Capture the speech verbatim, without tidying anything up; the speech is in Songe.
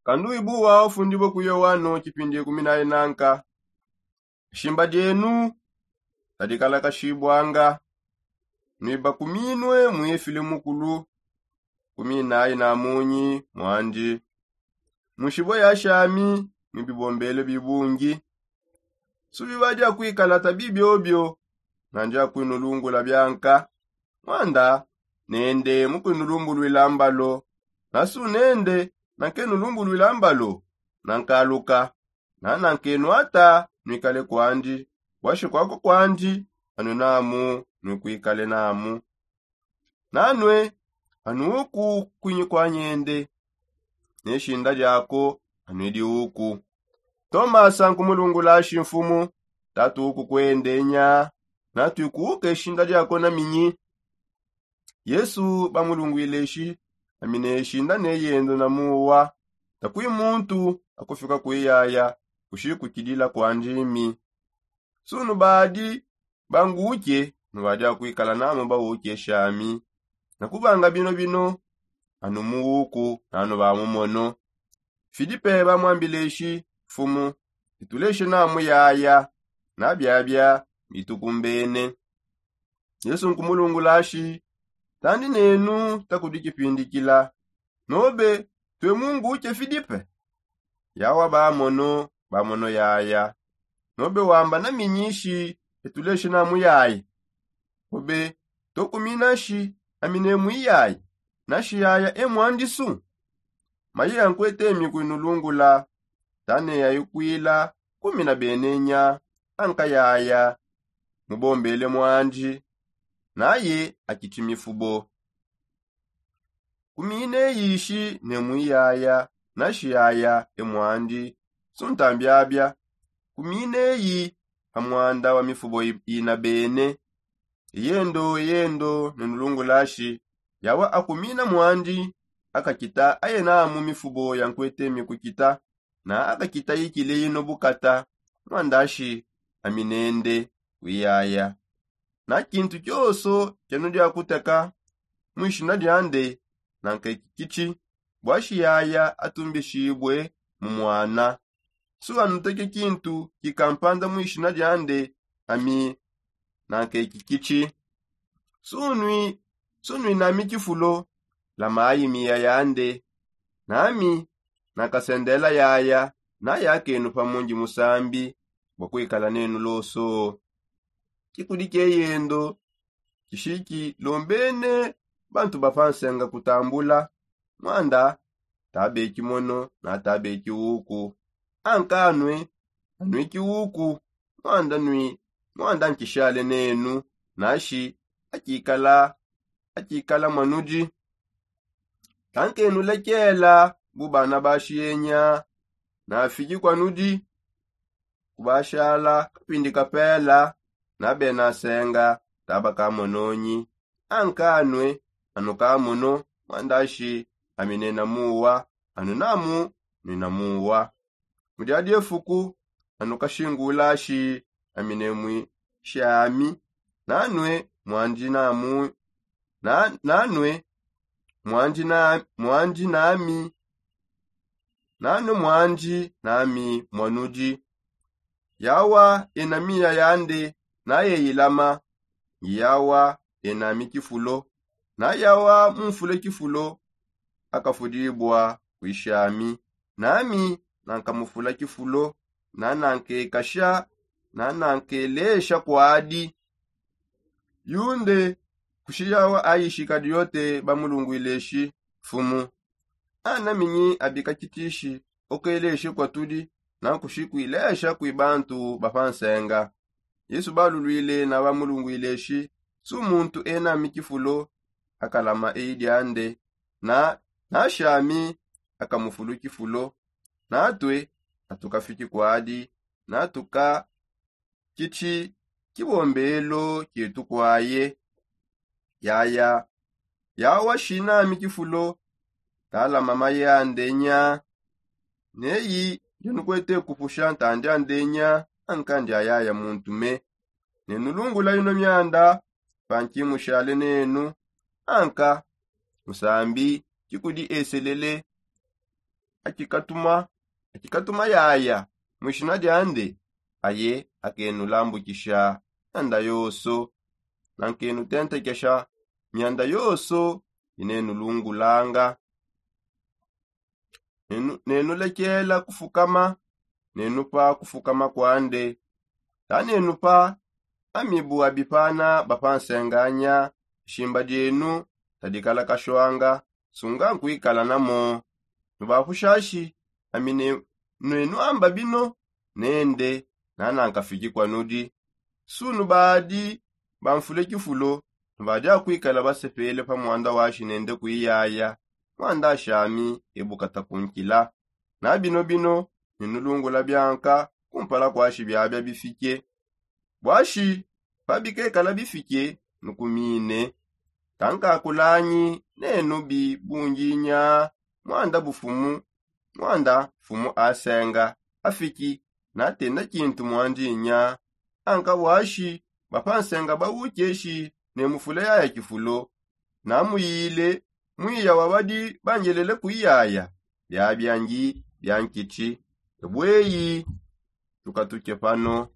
Kanduibu wa ufundibue kuyo wano kipindi kumi na inanka. Shimba dienu tadikalakashibwanga, nuibakuminue muifile mukulu kumi na inamunyi mwandi. Mushibue ya shami mubibombele bibungi. Subi badia kuikala tabi biobio, nandia kuinulungula bianka. Mwanda nende mukuinulumbulwila mbalo, nasu nende nankenulumbulwila mbalo. Nankaluka, nanankenwata nuikale kwandi, bwashi kwako kwandi anu namu nuikuikale namu. Nanue anu uku kwinyi kwa nyende, ne shinda diako anue diuku. Tomasa nkumulungulashi, mfumu, tatu uku kwende nya? Natuikuuke shinda diako na minyi? Yesu bamulungwileshi, ami ne shinda ne yendo na muwa, takui muntu akufika kuiyaya kushikukidila kwandi mi. Sunu badi banguke nubadi akuikala namu bauke shami. Nakubanga bino bino anu muuku nanu bamumono. Filipe bamwambileshi, mfumu, ituleshe namu yaya. Nabiabia bitukumbene. Yesu nkumulungulashi, tandi nenu takudi kipindikila. Nobe tue munguke filipe? Yawa bamono bamono yaya. Nobe wamba na minyishi etuleshe namu yaya? Obe tokuminashi amine mwiyayi, nashi yaya e mwandisu? Maye yankwete mi kuinulungula, tane yaikwila kumina benenya. Anka yaya mubombele mwandi, naye akiti mifubo. Kumine yishi ne mwiyaya, nashi yaya e mwandi. Suntambiabia kumine yi ha mwanda wa mifubo ina bene. Eyendo eyendo nenulungulashi, yawa akumina mwandi akakita ayenamu mifubo yankwete mikukita, na akakita yikile yino bukata, mwandashi aminende wiyaya. Na kintu kyoso kyanu diakuteka mwishina diande, nankekikitshi bwashi yaya atumbishibue mu mwana. Suanuteke kintu kikampanda mwishina diande, ami nankekikitshi. Sunui sunui nami kifulo la mayi miya yande, nami nakasendela yaya. Nayakenu pamundi musambi bua kuikala nenu loso. Kikudi keyendo kishiki lombene bantu bapansenga kutambula, mwanda tabe kimono na tabe kiuku. Anka anue anui kiuku, mwanda nui mwanda nkishale nenu, nashi akikala akikala mwanudi. Kankenulekela bu bana bashiyenya, nafiki kwanudi kubashala kapindi kapela. Nabenasenga taba kamononyi. Anka anue anu kamono, mwandashi aminena muwa, anu namu nina muwa. Mu diadi efuku anu kashingulashi aminemwi shami. Nanue mwandi namu na nanue mwandi na mwandi nami nanue mwandi nami mwanudi. Yawa ena miya yande nayeyilama. Ngiyawa enami kifulo. Nayawa mumfule kifulo akafudibua kuishami. Nami nankamufula kifulo, nanankekasha, nanankelesha kwadi. Yunde kushiyawa aishika diote bamulungwileshi, mfumu, ana minyi abikakitishi okeleshe kwatudi nankushi kuilesha kui bantu bapansenga? Yesu balulwile na bamulungwileshi, su muntu enami kifulo akalama eyi diande, na nashami akamufulu kifulo. Natue atukafiki kwadi, natuka kiti kibombelo kietu kwaye. Yaya yawa shinami kifulo, talama maye ande nya? Neyi ndianukwete kupusha ntandi ande nya? Anka ndiayaya muntu me. Nenulungula ino mianda panki mushale nenu. Anka musambi kikudi eselele akikatuma akikatuma yaya mwishina diande, aye akenulambukisha mianda yoso, nankenutentekesha mianda yoso inenulungulanga. Nenulekela kufukama nenupa kufukama kwande. Tanenupa amibu abipana bapansenganya. Shimba dienu tadikala kashwanga sunga nkwikala namo. Nubapushashi ami nenu amba bino nende nanankafiki kwanudi. Sunu badi bamfule kifulo nubadi akwikala basepele pa mwanda washi nende kwiyaya. Mwanda ashami ebukata kunkila. Na bino bino ninulungula bianka kumpala kwashi biabia bifike. Bwashi pabikekala bifike nukumine tankakulanyi nenu bibunginya. Mwanda bufumu mwanda mfumu asenga afiki natenda kintu mwandinya. Anka bwashi bapansenga bawukeshi ne mufule yaya kifulo namuyile mwiya wabadi bangelele kwiyaya. Biabia ngi bia nkiti. Ebweyi tukatuke pano.